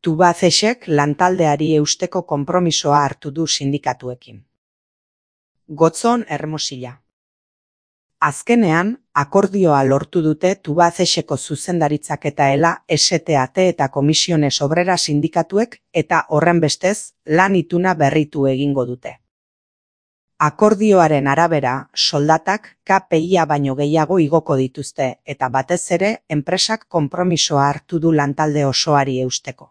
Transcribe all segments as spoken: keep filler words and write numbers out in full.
Tubacexek lantaldeari eusteko konpromisoa hartu du sindikatuekin. Gotzon Hermosilla. Azkenean, akordioa lortu dute Tubacexeko zuzendaritzak eta ela, S T A T eta Komisiones Obrera sindikatuek eta horrenbestez lan ituna berritu egingo dute. Akordioaren arabera, soldatak K P I-a baino gehiago igoko dituzte eta batez ere enpresak konpromisoa hartu du lantalde osoari eusteko.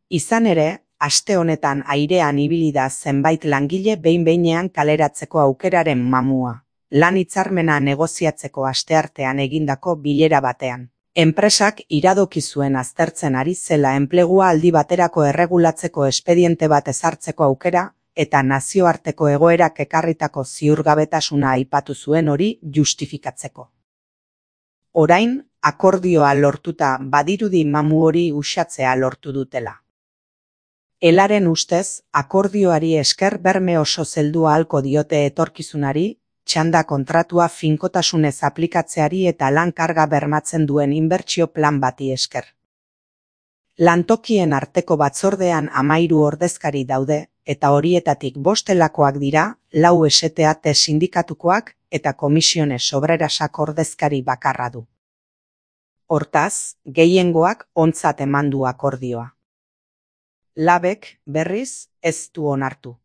Izan ere, aste honetan airean ibili da zenbait langile behin-behinean kaleratzeko aukeraren mamua, lan hitzarmena negoziatzeko asteartean egindako bilera batean. Enpresak iradoki zuen aztertzen ari zela enplegua aldi baterako erregulatzeko espediente bat ezartzeko aukera, eta nazioarteko egoerak ekarritako ziurgabetasuna aipatu zuen hori justifikatzeko. Orain, akordioa lortuta badirudi mamu hori uxatzea lortu dutela. Elaren ustez, akordioari esker berme oso zeldua ahalko diote etorkizunari, txanda kontratua finkotasunez aplikatzeari eta lan karga bermatzen duen inbertsio plan bati esker. Lantokien arteko batzordean hamairu ordezkari daude, eta horietatik bostelakoak dira, lau S T A T sindikatukoak eta Komisiones Obrerasak ordezkari bakarra du. Hortaz, gehiengoak ontzat eman du akordioa. Labek, berriz, ez du onartu.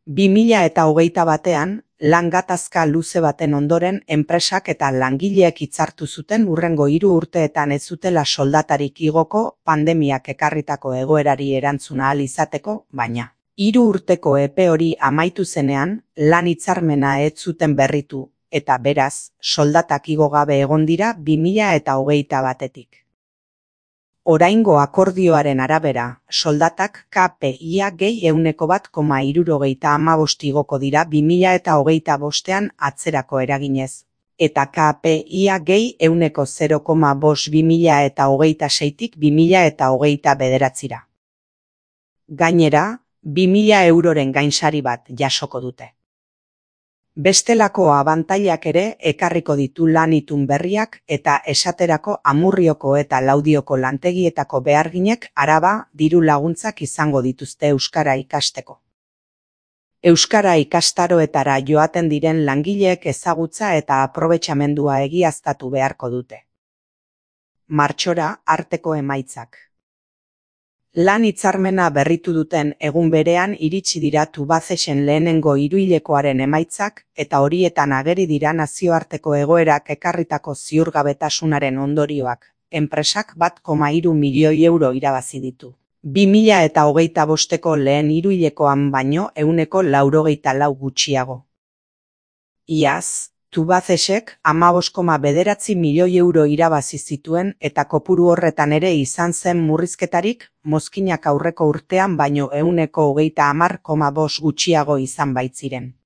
bi mila eta hogeita batean, lan gatazka luze baten ondoren enpresak eta langileek hitzartu zuten hurrengo hiru urteetan ez zutela soldatarik igoko pandemiak ekarritako egoerari erantzuna ahal izateko, baina hiru urteko epe hori amaitu zenean, lan hitzarmena ez zuten berritu, eta beraz, soldatak igo gabe egon dira bi mila eta hogeita batetik. Oraingo akordioaren arabera, soldatak K P I-a gehi ehuneko bat koma hirurogeita hamabost igoko dira bi mila eta hogeita bostean atzerako eraginez, eta K P I-a gehi ehuneko zero koma bost bi mila eta hogeita seitik bi mila eta hogeita bederatzira. Gainera, bi mila euroren gainsari bat jasoko dute. Bestelako abantailak ere ekarriko ditu lan itun berriak eta esaterako Amurrioko eta Laudioko lantegietako beharginek araba diru laguntzak izango dituzte euskara ikasteko. Euskara ikastaroetara joaten diren langileek ezagutza eta aprobetxamendua egiaztatu beharko dute. Martxora arteko emaitzak. Lan hitzarmena berritu duten egun berean iritsi dira Tubacexen lehenengo hiruhilekoaren emaitzak eta horietan ageri dira nazioarteko egoerak ekarritako ziurgabetasunaren ondorioak. Enpresak bat koma hiru milioi euro irabazi ditu. bi mila eta hogeita bosteko lehen hiruhilekoan baino ehuneko laurogeita lau gutxiago. Iaz, Tubacexek hamabost koma bederatzi milioi euro irabazi zituen eta kopuru horretan ere izan zen murrizketarik, mozkinak aurreko urtean baino ehuneko hogeita hamar koma bost gutxiago izan baitziren.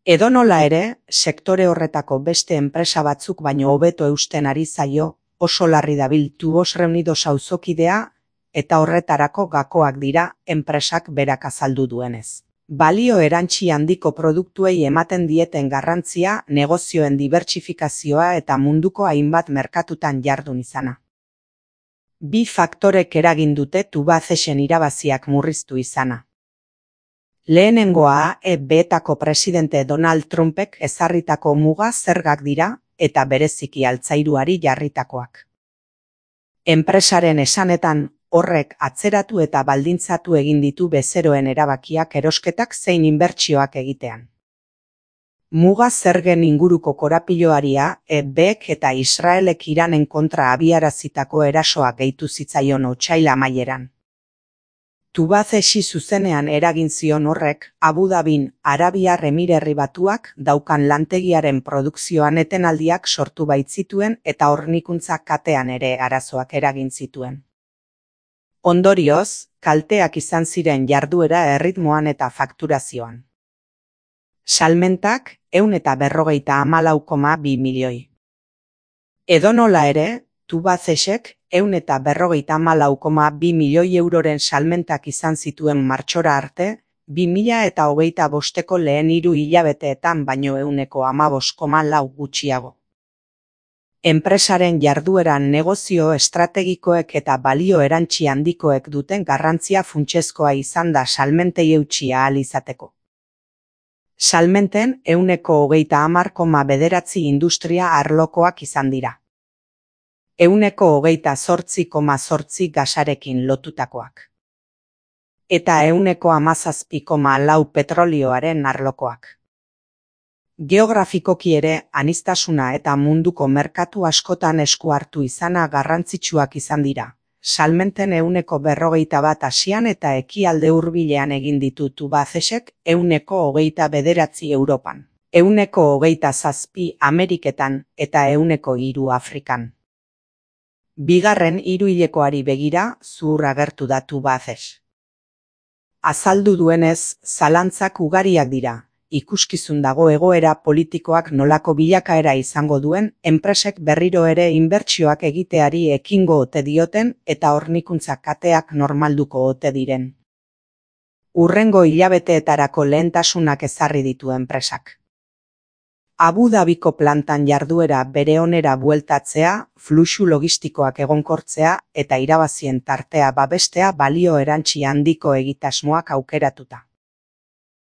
Edonola ere, sektore horretako beste enpresa batzuk baino hobeto eusten ari zaio, oso larri dabil Tubos Reunidos auzokidea, eta horretarako gakoak dira enpresak berak azaldu duenez. Balio erantsi handiko produktuei ematen dieten garrantzia, negozioen dibertsifikazioa eta munduko hainbat merkatutan jardun izana. Bi faktorek eragin dute Tubacexen irabaziak murriztu izana. Lehenengoa A E B-etako presidente Donald Trumpek ezarritako muga zergak dira eta bereziki altzairuari jarritakoak. Enpresaren esanetan, horrek atzeratu eta baldintzatu egin ditu bezeroen erabakiak erosketak zein inbertsioak egitean. Muga zergen inguruko korapiloaria E B-ek eta Israelek Iranen kontra abiarazitako erasoa gehitu zitzaion otsail amaieran. Tubacexi zuzenean eragin zion horrek, Abu Dhabin, Arabiar Emirerri Batuak daukan lantegiaren produkzioan etenaldiak sortu baitzituen eta hornikuntza katean ere arazoak eragin zituen. Ondorioz, kalteak izan ziren jarduera erritmoan eta fakturazioan. Salmentak ehun eta berrogeita hamalau koma bi milioi. Edonola ere, Tubacexek ehun eta berrogeita hamalau koma bi milioi euroren salmentak izan zituen martxora arte, bi mila eta hogeita bosteko lehen hiru hilabeteetan baino ehuneko hamabost koma lau gutxiago. Enpresaren jardueran negozio estrategikoek eta balio erantsi handikoek duten garrantzia funtsezkoa izan da salmentei eutsi ahal izateko. Salmenten ehuneko hogeita hamar koma bederatzi industria arlokoak izan dira. Ehuneko hogeita zortzi koma zortzi gasarekin lotutakoak. Eta ehuneko hamazazpi koma lau petrolioaren arlokoak. Geografikoki ere, aniztasuna eta munduko merkatu askotan esku hartu izana garrantzitsuak izan dira. Salmenten ehuneko berrogeita bat Asian eta ekialde hurbilean egin ditu Tubacexek, ehuneko hogeita bederatzi Europan, ehuneko hogeita zazpi Ameriketan eta ehuneko hiru Afrikan. Bigarren hiruhilekoari begira, zuhur agertu da Tubacex. Azaldu duenez, zalantzak ugariak dira. Ikuskizun dago egoera politikoak nolako bilakaera izango duen, enpresek berriro ere inbertsioak egiteari ekingo ote dioten eta hornikuntza kateak normalduko ote diren. Hurrengo hilabeteetarako lehentasunak ezarri ditu enpresak. Abu Dhabiko plantan jarduera bere onera bueltatzea, fluxu logistikoak egonkortzea eta irabazien tartea babestea balio erantsi handiko egitasmoak aukeratuta.